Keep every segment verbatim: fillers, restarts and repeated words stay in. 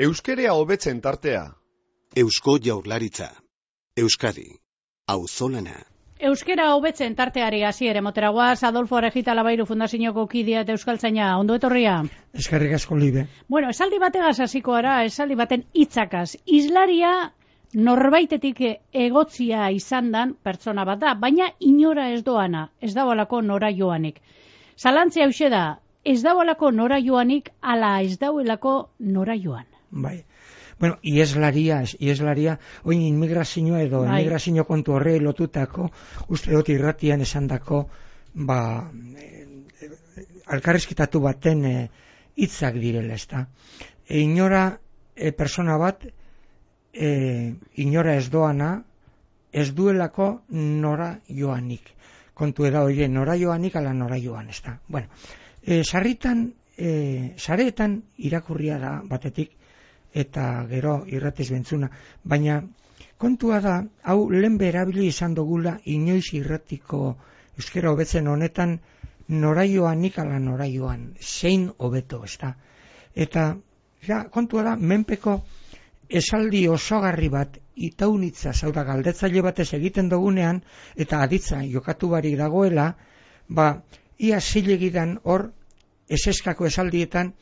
Euskerea hobetzen tartea. Eusko Jaurlaritza. Euskadi. Auzolana. Euskera hobetzen tarteari hasiere moteragoaz, Adolfo Arejita Labairu Fundazioko kidea eta euskaltzaina, ondo etorria. Eskerrik asko libe. Bueno, esaldi bategaz hasiko gara, esaldi baten hitzakaz. Islaria norbaitetik egotzia izandan pertsona bat da, baina inora ez doana, ez dagoelako nora joanik. Zalantzia hauxe da, ez dagoelako nora joanik, ala ez dagoelako nora joan. Bai. Bueno, ieslaria, ieslaria, oin inmigrazioa edo bai. Inmigrazio kontu horre lotutako, uste dut irratian esandako, ba, e, alkarrizketatu baten hitzak e, direla, ezta. E, inora e, persona bat, e, inora ez doana, ez duelako nora joanik. Kontu eda hori, nora joanik ala nora joan, ezta. Bueno, e, sarritan, e, sareetan irakurria da batetik, eta gero irratiz bentzuna, baina kontua da, hau lehen erabili izan dugula inoiz irratiko euskera hobetzen honetan nora joanik ala nora joan, zein hobeto, ezta. Eta ja, kontua da, menpeko esaldi osogarri bat itaunitza, zau da galdetzaile batez egiten dugunean, eta aditza jokatu barik dagoela, ba, ia zilegidan hor, eseskako esaldietan,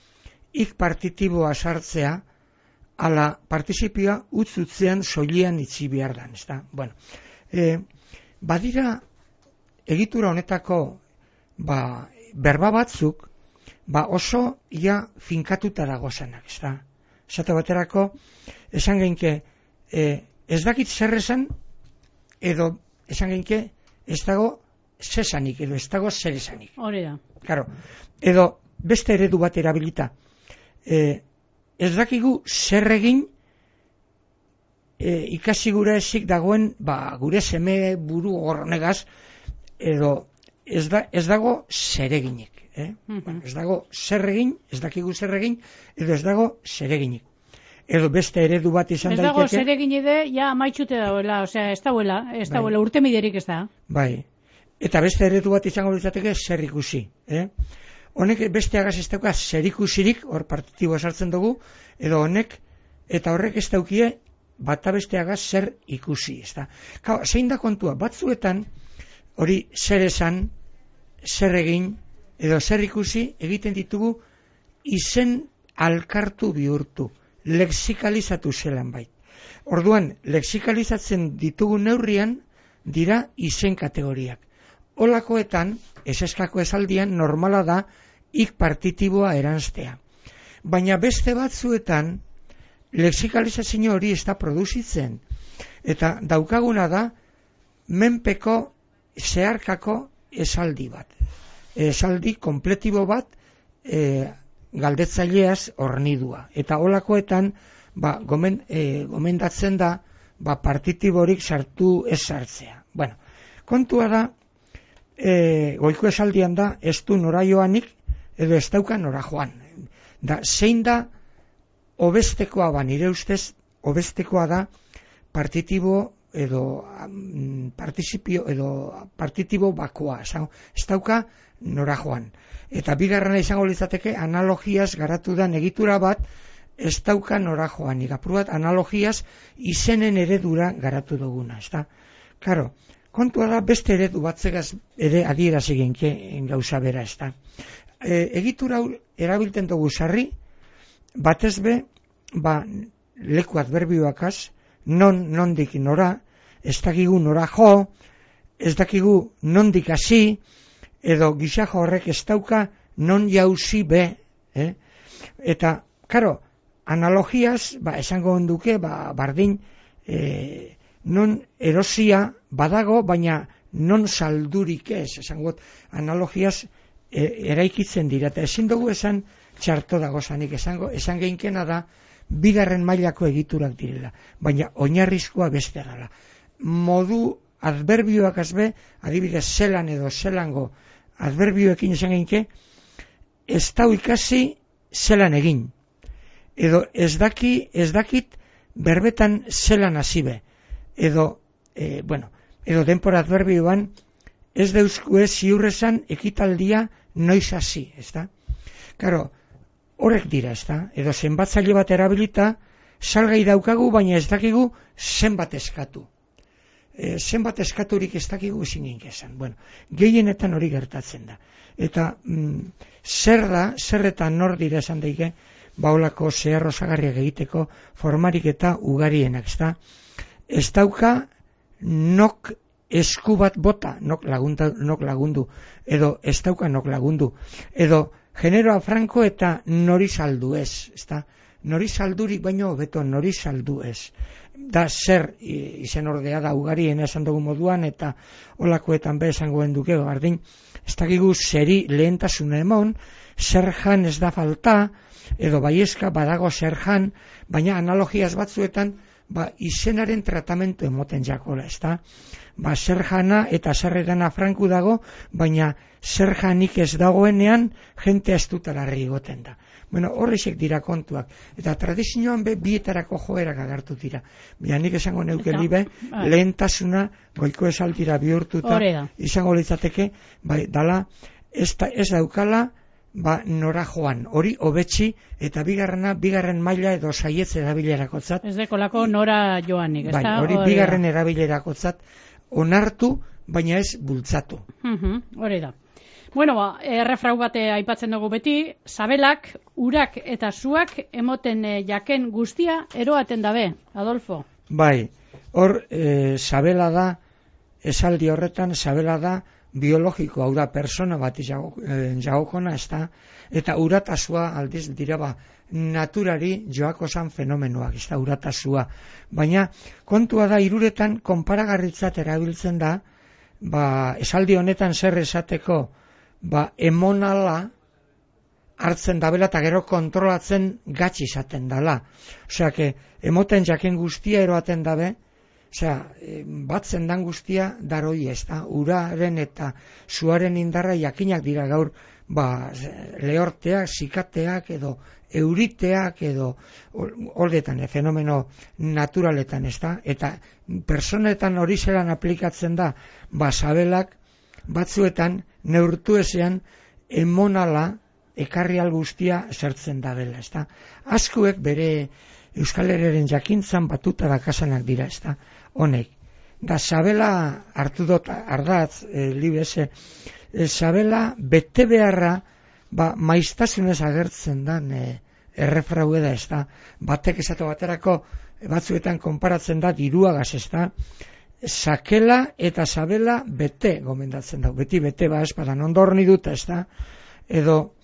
ik partitiboa sartzea, ala partizipioa utzutzean soilian itzi behar dan, ezta? Bueno, e, badira egitura honetako ba, berba batzuk ba, oso ia finkatuta dagozanak, ezta? Esate baterako, esan genke, e, ez dakit zer esan, edo esan genke, ez dago zesanik, edo ez dago zer esanik. Hori da. Claro, edo beste eredu bat erabilita, e, ez dakigu zer egin e, ikasi gure ezik dagoen ba, gure seme buru horrenegaz edo ez, da, ez dago zer eginik. Eh? Mm-hmm. Bueno, ez dago zer egin, ez dakigu zer egin, edo ez dago zer eginik. Edo beste eredu bat izan daiteke. Ez dago zer egin ede, ja maitxute dagoela, osea, ez dagoela, ez dagoela, bai. Urte miderik ez da. Bai, eta beste eredu bat izango litzateke zer ikusi. Eh? Honek beste agaz ez dauka zer ikusirik, hor partitiboa sartzen dugu, edo honek, eta horrek ez daukie, bata beste agaz zer ikusi. Ez da. Kau, zein da kontua, batzuetan, hori zer esan, zer egin, edo zer ikusi, egiten ditugu, izen alkartu bihurtu, lexikalizatu zelan bait. Orduan, lexikalizatzen ditugu neurrian, dira izen kategoriak. Olakoetan, eseskako esaldian, normala da, ik partitiboa eranztea. Baina beste batzuetan, lexikalizazio hori ez da produzitzen. Eta daukaguna da, menpeko zeharkako esaldi bat. Esaldi kompletibo bat, e, galdetzaileaz hornidua. Eta olakoetan, ba, gomen, e, gomendatzen da, ba, partitiborik sartu ez sartzea. Bueno, kontua da, E, goiko esaldian da, ez du nora joanik, edo ez dauka nora joan. Da, zein da, obestekoa ba, nire ustez, obestekoa da, partitibo edo um, participio edo partitibo bakoa. Ez dauka nora joan. Eta bigarrena izango litzateke, analogiaz garatu da egitura bat, ez dauka nora joanik. Apur bat, analogiaz izenen eredura garatu duguna. Ez da, karo, kontua da, beste eredu batzegaz ere adierazi genke gauza bera, ez da. E, egitura erabilten dugu sarri, batez be, ba, leku adverbioakaz, non, nondik nora, ez dakigu nora jo, ez dakigu nondik hasi, edo gizajo horrek ez dauka non jauzi be, eh? Eta, karo, analogiaz, ba, esango onduke, ba, bardin, eh, non erosia badago, baina non saldurik ez, esangot, analogiaz e, eraikitzen dira, eta ezin dugu esan txarto dago zanik, esango, esan geinkena da, bigarren mailako egiturak direla, baina oinarrizkoa beste gala. Modu adverbioak azbe, adibidez zelan edo zelango adverbioekin esan geinke, ez dau ikasi zelan egin, edo ez daki, ez dakit berbetan zelan hasibe, edo, e, bueno, edo denpora adverbioan, ez deuzkue ziurrezan ekitaldia noiz hasi, ez da? Karo, horrek dira, ez da? Edo zenbatzaile bat erabilita, salgai daukagu, baina ez dakigu zenbat eskatu. E, zenbat eskaturik ez dakigu zingink esan. Bueno, gehienetan hori gertatzen da. Eta mm, zer da, zer eta nor dira esan daike, baulako zehar osagarriak egiteko formarik eta ugarienak, ez da? Ez dauka nok esku bat bota, nok, lagunta, nok lagundu, edo ez dauka nok lagundu, edo generoa franko eta nori saldu ez, ez da? Nori saldurik baino beto nori saldu ez. Da zer izen ordea da ugarien esan dugu moduan eta olakoetan be esangoen duke bardin, ez dakigu zeri lehentasuna emon, zer jan ez da falta, edo baiezka badago zer jan, baina analogiaz batzuetan ba, izenaren tratamentu emoten jakola, ez da? Ba, zer jana eta zer edana franku dago, baina zer janik ez dagoenean jente ez dutalarri egoten da. Bueno, horrexek dira kontuak. Eta tradizioan be bietarako joerak agartu dira. Baina nik esango neuke libe, lehentasuna goiko esaldira bihurtuta izango litzateke, bai, dala, ez, da, ez daukala, ba, nora joan, hori hobetsi, eta bigarrena, bigarren maila edo saietz erabilerakotzat. Ez dekolako nora joanik, ez bai, da? Hori bigarren erabilerakotzat onartu, baina ez bultzatu. Hori da. Bueno, ba, errefrau bate aipatzen dugu beti, sabelak, urak eta zuak emoten e, jaken guztia eroaten dabe, Adolfo. Bai, hor, e, sabela da, esaldi horretan, sabela da biologiko, hau da, persona bat jagokona, ez da, eta uratasua aldiz dira ba, naturari joako zan fenomenoak, ez da, uratasua. Baina, kontua da, iruretan, konparagarritzat erabiltzen da, ba, esaldi honetan zer esateko, ba, emonala hartzen dabela eta gero kontrolatzen gatsi izaten dala. Osea, que emoten jaken guztia eroaten dabe, osea, batzen dan guztia daroi ez da, uraren eta zuaren indarra jakinak dira gaur, ba, lehorteak, zikateak edo euriteak edo horretan, e, fenomeno naturaletan ez da, eta personetan hori zelan aplikatzen da, ba, sabelak batzuetan neurtu ezean emonala ekarri guztia zertzen da dela, ez da. Askuek bere Euskal Herriaren jakintzan batuta dakasanak dira, ez da, honek. Da sabela hartu dut ardatz, e, libese, e, sabela bete beharra, ba, maiztasunez agertzen dan e, errefraue da, ez da. Batek esatu baterako batzuetan konparatzen da diruagaz, ez da. Sakela eta sabela bete gomendatzen da, beti bete ba espadan ondorni dut, ez da, edo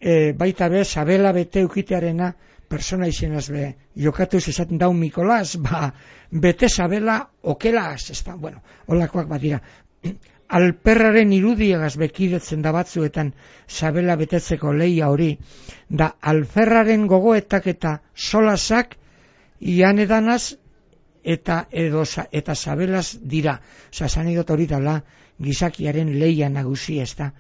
e, baita be, sabela bete ukitearena persona izenaz be, jokatuz esaten daun Mikolas, ba, bete sabela okelaz, ez da, bueno, holakoak badira. Alperraren irudiagaz bekidetzen da batzuetan sabela betetzeko leia hori, da alferraren gogoetak eta solasak ian edanaz, eta edo eta sabelaz dira. Osa, zanidot hori dala gizakiaren leia nagusi, ez da.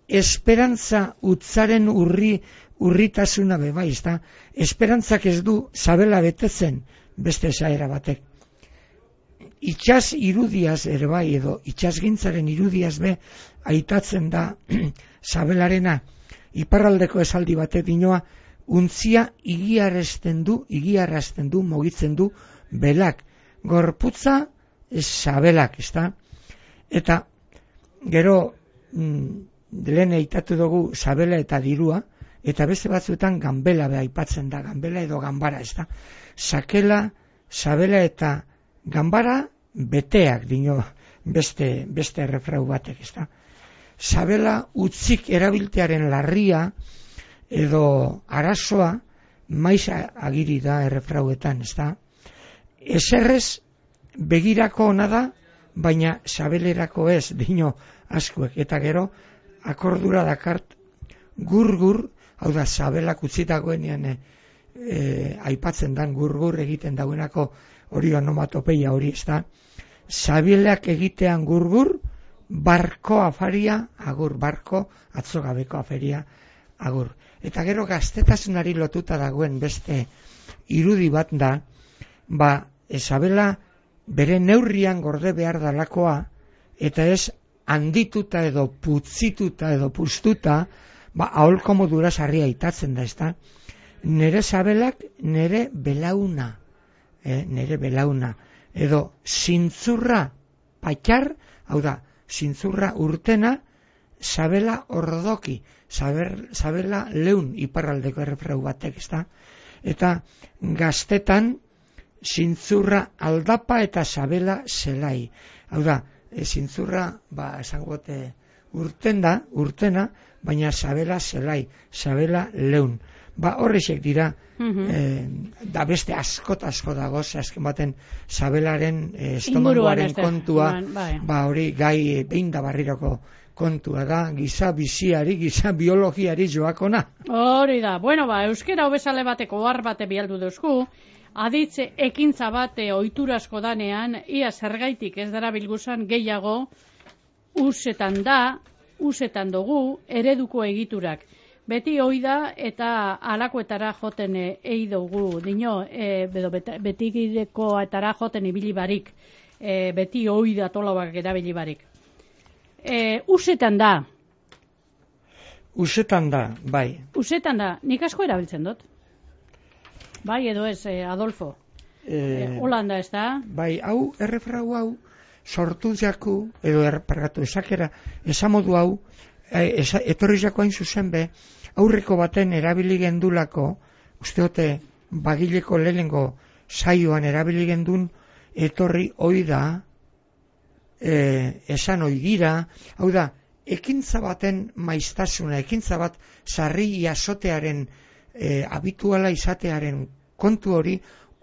Esperantza utzaren urri, urritasuna beba, ez da. Esperantzak ez du sabela betetzen beste esaera batek. Itxaz irudiaz ere bai, edo itxazgintzaren irudiaz be aitatzen da sabelarena. Iparraldeko esaldi batek dinoa, untzia igiarazten du, igiarazten du, mogitzen du belak. Gorputza sabelak, ez da? Eta gero mm, lehen eitatu dugu sabela eta dirua, eta beste batzuetan ganbela beha aipatzen da, ganbela edo ganbara, ez da? Sakela, sabela eta ganbara beteak dino beste, beste errefrau batek, ez da? Sabela utzik erabiltearen larria edo arazoa maiz agiri da errefrauetan, ez da? Eserrez begirako ona da, baina sabelerako ez, dino askuek. Eta gero, akordura dakart, gur-gur, hau da, sabelak utzitagoenean e, e, aipatzen dan gur-gur egiten dauenako hori onomatopeia hori, ez da. Sabelak egitean gur-gur, barko afaria, agur, barko, atzogabeko afaria, agur. Eta gero gaztetasunari lotuta dagoen beste irudi bat da, ba, sabela bere neurrian gorde behar dalakoa, eta ez handituta edo putzituta edo puztuta, ba, aholko modura sarri aitatzen da, ezta? Nere sabelak, nere belauna, eh, nere belauna, edo zintzurra patxar, hau da, zintzurra urtena, sabela ordoki, saber, sabela leun iparraldeko errefrau batek, ezta? Eta gaztetan, zintzurra aldapa eta sabela zelai. Hau da, e, zintzurra, ba, esangote, urten da, urtena, baina sabela zelai, sabela leun. Ba, horrexek dira, mm-hmm. e, da beste askot asko dago, azken baten sabelaren e, estomagoaren kontua, bai. Ba, hori gai e, behin da barriroko kontua da, giza biziari, giza biologiari joakona. Hori da, bueno, ba, euskera hobesale bateko ohar bate bialdu duzku, aditze ekintza bate oiturasko danean, ia zergaitik ez dara bilguzan gehiago, usetan da, usetan dugu, ereduko egiturak. Beti hoi da eta alakoetara joten ei dugu, dino, e, bedo, beti gidekoetara joten ibili barik, e, beti hoi da tolauak erabili barik. E, usetan da. Usetan da, bai. Usetan da, nik asko erabiltzen dut. Bai, edo ez, eh, Adolfo. E, e, Holanda ez da. Bai, hau, errefrau hau, sortu jaku, edo erpargatu esakera, esamodu hau, e, esa, etorri jako hain zuzen be, aurreko baten erabili gendulako, usteote bagileko lehengo saioan erabili gendun, etorri hoi da, e, esan hoi gira, hau da, ekintza baten maiztasuna, ekintza bat sarri jasotearen, e, habituala izatearen kontu hori,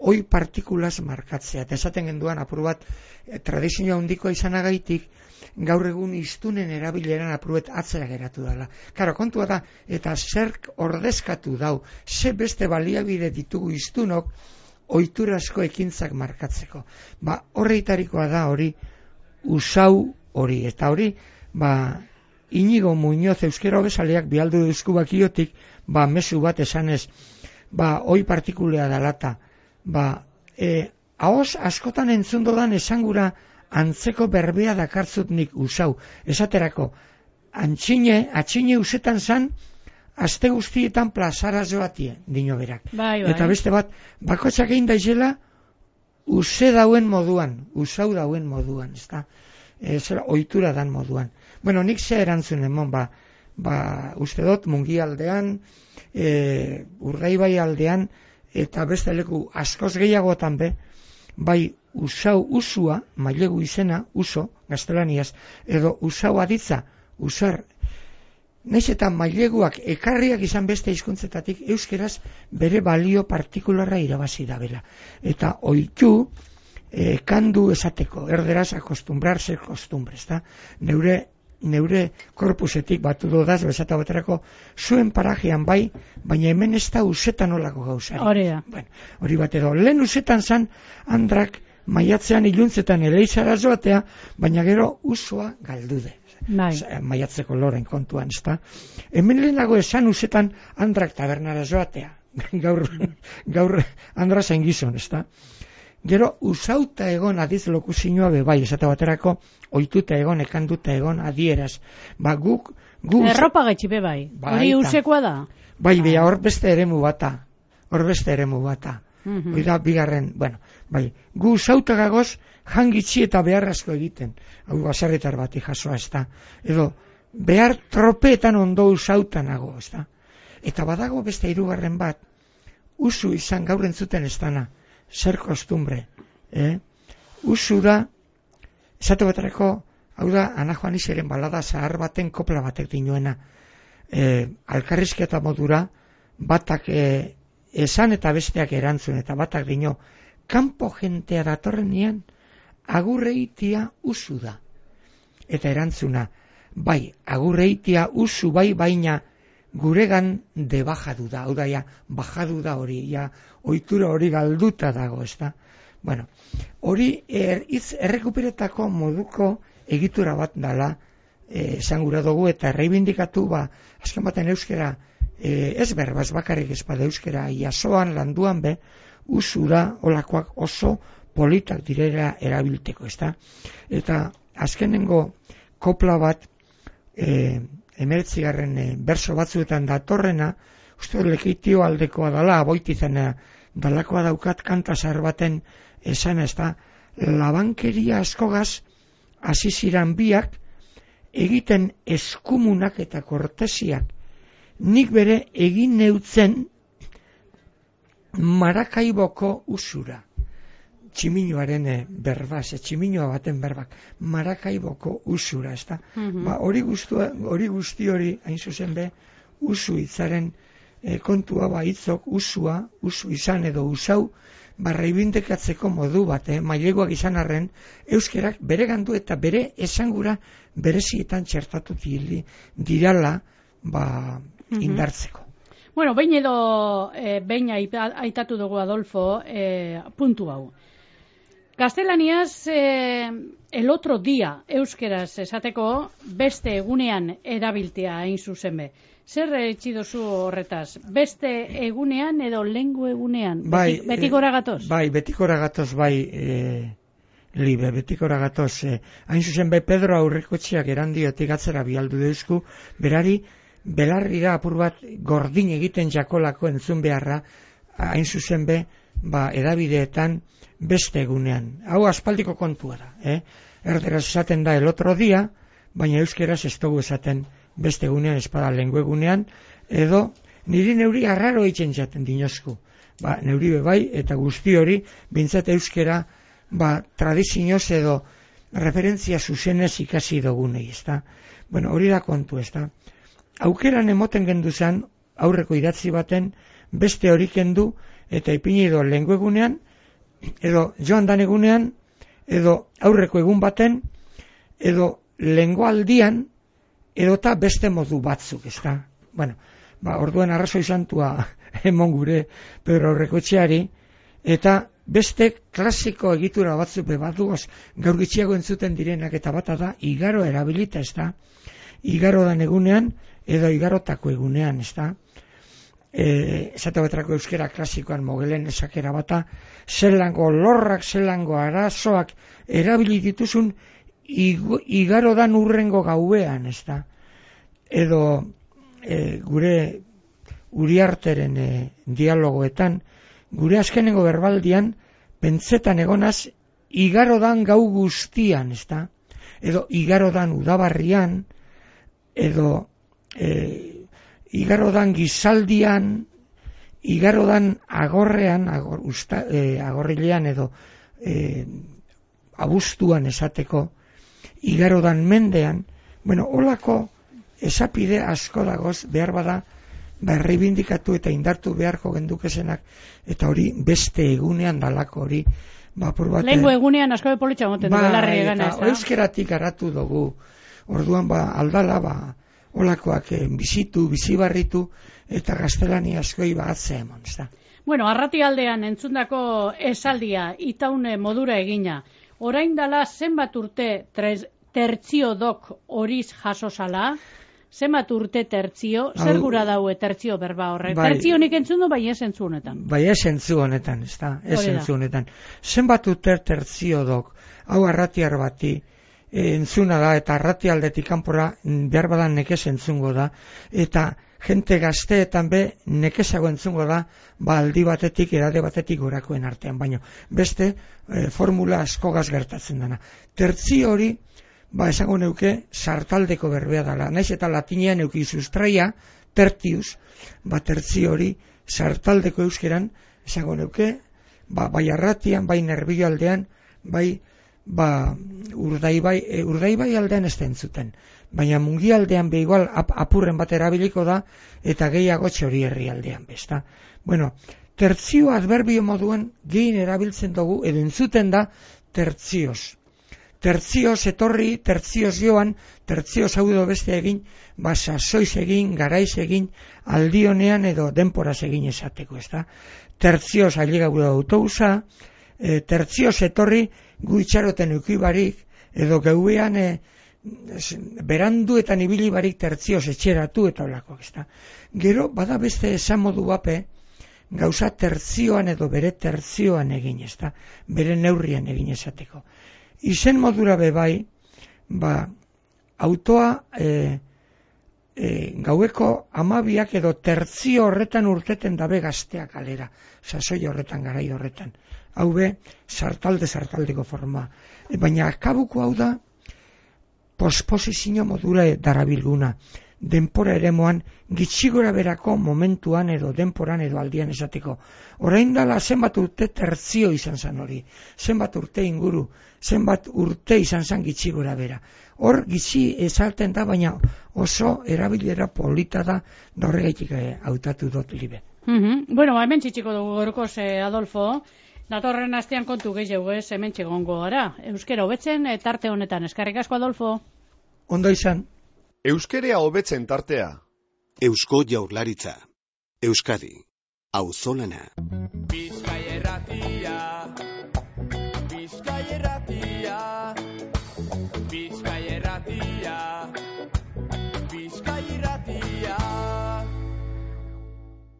hoi partikulaz markatzea. Eta esaten genduan, apur bat, e, tradizioa handikoa izanagaitik, gaur egun iztunen erabileran apruet atzera geratu dela. Karo, kontua da, eta zerk ordezkatu dau, ze beste baliabide ditugu iztunok, oiturasko ekintzak markatzeko. Ba, horreitarikoa da hori, usau hori, eta hori, ba, Inigo Muñoz euskera hobesaleak bialdu duzku bakiotik, ba, mezu bat esanez, ba, hoi partikulea dalata, ba, e, ahoz askotan entzundodan esangura, antzeko berbea dakartzut nik usau. Esaterako, antxine, atxine usetan zan, aste guztietan plazara joatie, dino berak. Bai, bai. Eta beste bat, bakotxak egin daizela, use dauen moduan, usau dauen moduan, ezta? E, zera, ohitura dan moduan. Bueno, nik ze erantzun emon, ba, ba, uste dut, mungi aldean, e, Urdaibai aldean, eta beste leku askoz gehiagotan be, bai, usau usua, mailegu izena, uso, gaztelaniaz, edo usau aditza, usar, naiz eta maileguak ekarriak izan beste hizkuntzetatik euskeraz bere balio partikularra irabazi dabela. Eta oitu, e, kandu esateko, erderaz akostumbrarse kostumbres, da? Neure, neure korpusetik batu dodaz, bezata baterako, zuen parajean bai, baina hemen ez da usetan olako gauzari. Hori da. Bueno, hori bat edo, lehen usetan zan, andrak, maiatzean iluntzetan eleizara joatea, baina gero usua galdude. Bai. Maiatzeko loren kontuan, ezta? Hemen lehenago esan usetan andrak tabernara joatea. gaur, gaur andra zain gizon, ezta? Gero usauta egon adiz lokuzioa be bai, esate baterako ohituta egon, ekanduta egon adieraz. Ba guk guk erropa gaitxipe bai. Hori usekoa da. Bai, bai, hor beste eremu bata. Hor beste eremu bata. Mm-hmm. Oida bigarren, bueno, bai, gu sautagagoz jangitzi eta behar asko egiten. Hau baserritar bati jasoa, ez da. Edo, behar tropeetan ondo usautanago, ez da. Eta badago beste hirugarren bat, usu izan gaur entzuten ez dana, zer kostumbre. Eh? Usu da, esate baterako, hau da, Ana Juanixeren balada zahar baten kopla batek dinoena. Eh, alkarrizketa modura, batak eh, esan eta besteak erantzun, eta batak dino, kanpo jentea datorren nian, agurreitia usu da. Eta erantzuna, bai, agurreitia usu bai, baina guregan debajadu da, hau da, ja, bajadu da hori, ja, ohitura hori galduta dago, ez da. Bueno, hori er, itz errekuperetako moduko egitura bat dala, eh, esan gura dugu, eta erreibindikatu, ba, azken baten euskera, eh, ez berbaz bakarrik ez bada euskera, jasoan, landuan be, usura olakoak oso politak direla erabilteko, ezta? Eta azkenengo kopla bat, e, hemeretzigarren e, berso batzuetan datorrena, uste lekitio aldekoa dala, aboitizena dalakoa daukat kantasar baten esan ez da, labankeria askogaz hasi ziran biak egiten eskumunak eta kortesiak. Nik bere egin neutzen Marakaiboko usura. Tximinoaren berbaz, tximinoa baten berbak, Marakaiboko usura, ez da? Mm-hmm. Ba, hori guzti hori, guzti hori, hain zuzen be, usu hitzaren e, kontua ba hitzok, usua, usu izan edo usau, ba, reibindekatzeko modu bat, eh? Maileguak izan arren, euskerak bere gandu eta bere esangura berezietan txertatu dirala, ba, mm-hmm. indartzeko. Bueno, behin edo, e, behin aitatu dugu Adolfo, e, puntu hau. Gaztelaniaz, e, el otro dia, euskeraz esateko, beste egunean erabiltea hain zuzen be. Zer etxi dozu horretaz? Beste egunean edo lengu egunean? Bai, Beti, betikora gatoz? Bai, betikora gatoz, bai, e, libe, betikora gatoz. E, hain zuzen be, Pedro Aurrekotxeak erandiotik atzera bialdu deuzku, berari, belarri da apur bat gordin egiten jakolako entzun beharra, hain zuzen be, ba, edabideetan beste egunean. Hau aspaldiko kontua da, eh? Erderaz esaten da el otro dia, baina euskeraz ez dugu esaten beste egunean, espada lengu egunean, edo niri neuri arraro eitzen jaten dinozku. Ba, neuri bebai, eta guzti hori, bintzat euskera, ba, tradizioz edo referentzia zuzenez ikasi dugunei, ez da? Bueno, hori da kontu, ez da? Aukeran emoten gendu zen, aurreko idatzi baten, beste hori kendu, eta ipini edo lengu egunean, edo joan dan egunean, edo aurreko egun baten, edo lengo aldian, edo eta beste modu batzuk, ez da? Bueno, ba, orduan arrazoi santua emon gure Pedro Aurrekotxeari, eta beste klasiko egitura batzuk bebatuaz, gaur gitxiago entzuten direnak, eta bata da, igaro erabilita, ez da? Igaro dan egunean, edo igarotako egunean, ez da? E, esate baterako euskera klasikoan mogelen esakera bata, zelango lorrak, zelango arazoak erabili dituzun igaro dan urrengo gauean, ez da? Edo e, gure Uriarteren e, dialogoetan, gure azkenengo berbaldian, pentsetan egonaz, igaro dan gau guztian, ez da? Edo igaro dan udabarrian, edo e, igarodan gizaldian, igarodan agorrean, agor, usta, e, agorrilean edo e, abuztuan esateko, igarodan mendean, bueno, holako esapide asko dagoz behar bada, ba, erreibindikatu eta indartu beharko gendukesenak, eta hori beste egunean dalako hori, ba, bat, lengo egunean asko bepolitxa moten ba, dugu larri egana, ez da? Euskeratik aratu dugu, orduan ba, aldala, ba, olakoak eh, bizitu, bizibarritu, eta gaztelani askoi ba atzea emon, ez da. Bueno, arrati aldean entzundako esaldia, itaune modura egina, orain dala zenbat urte tres, tertzio dok horiz jasosala, zenbat urte tertzio, zer gura daue tertzio berba horrek? Bai, tertzio nik entzundu, bai ez entzu honetan. Bai ez entzu honetan, ez da, ez entzu honetan. Zenbat urte tertzio dok, hau arratiar bati, entzuna da, eta arrati aldetik kanpora behar badan nekez entzungo da, eta jente gazteetan be nekezago entzungo da, ba aldi batetik, edade batetik gorakoen artean, baino beste e, formula askogaz gertatzen dana. Tertzi hori, ba esango neuke, sartaldeko berbea dela, naiz eta latinean euki sustraia, tertius, ba tertzi hori, sartaldeko euskeran, esango neuke, ba bai arratian, bai nerbio aldean, bai ba, urdaibai, e, urdaibai aldean ez da entzuten. Baina mungi aldean be igual ap, apurren bat erabiliko da, eta gehiago txori herri aldean besta. Bueno, tertzio adverbio moduan gehien erabiltzen dugu, edo entzuten da tertzioz. Tertzioz etorri, tertzioz joan, tertzioz hau edo beste egin, ba, sasoiz egin, garaiz egin, aldionean edo denporaz egin esateko, ez da. Tertzioz ailegau da autobusa, e, tertzioz etorri, gu itxaroten eukibarik, edo geuean e, beranduetan ibili barik tertzioz etxeratu eta olako, ez da. Gero, bada beste esan modu bape, gauza tertzioan edo bere tertzioan egin, ez da, bere neurrian egin esateko. Izen modura bebai, ba, autoa e, e, gaueko amabiak edo tertzio horretan urteten dabe gazteak kalera, sasoi horretan, garai horretan. Hau be, sartalde sartaldeko forma. E, baina akabuko hau da, posposizio modura darabilguna. Denpora eremoan, gitxigora berako momentuan edo denporan edo aldian esateko. Orain dala zenbat urte tertzio izan zan hori, zenbat urte inguru, zenbat urte izan zan gitxigora bera. Hor gitxi esalten da, baina oso erabilera polita da, da horregaitik hautatu dut libe. Mm-hmm. Bueno, hemen txitxiko dugu gorkoz, eh, Adolfo, datorren astean kontu gehiago ez, hemen txegongo gara. Euskera hobetzen eh, tarte honetan, eskerrik asko, Adolfo. Ondo izan. Euskerea hobetzen tartea. Eusko Jaurlaritza. Euskadi. Auzolana. Bizkaia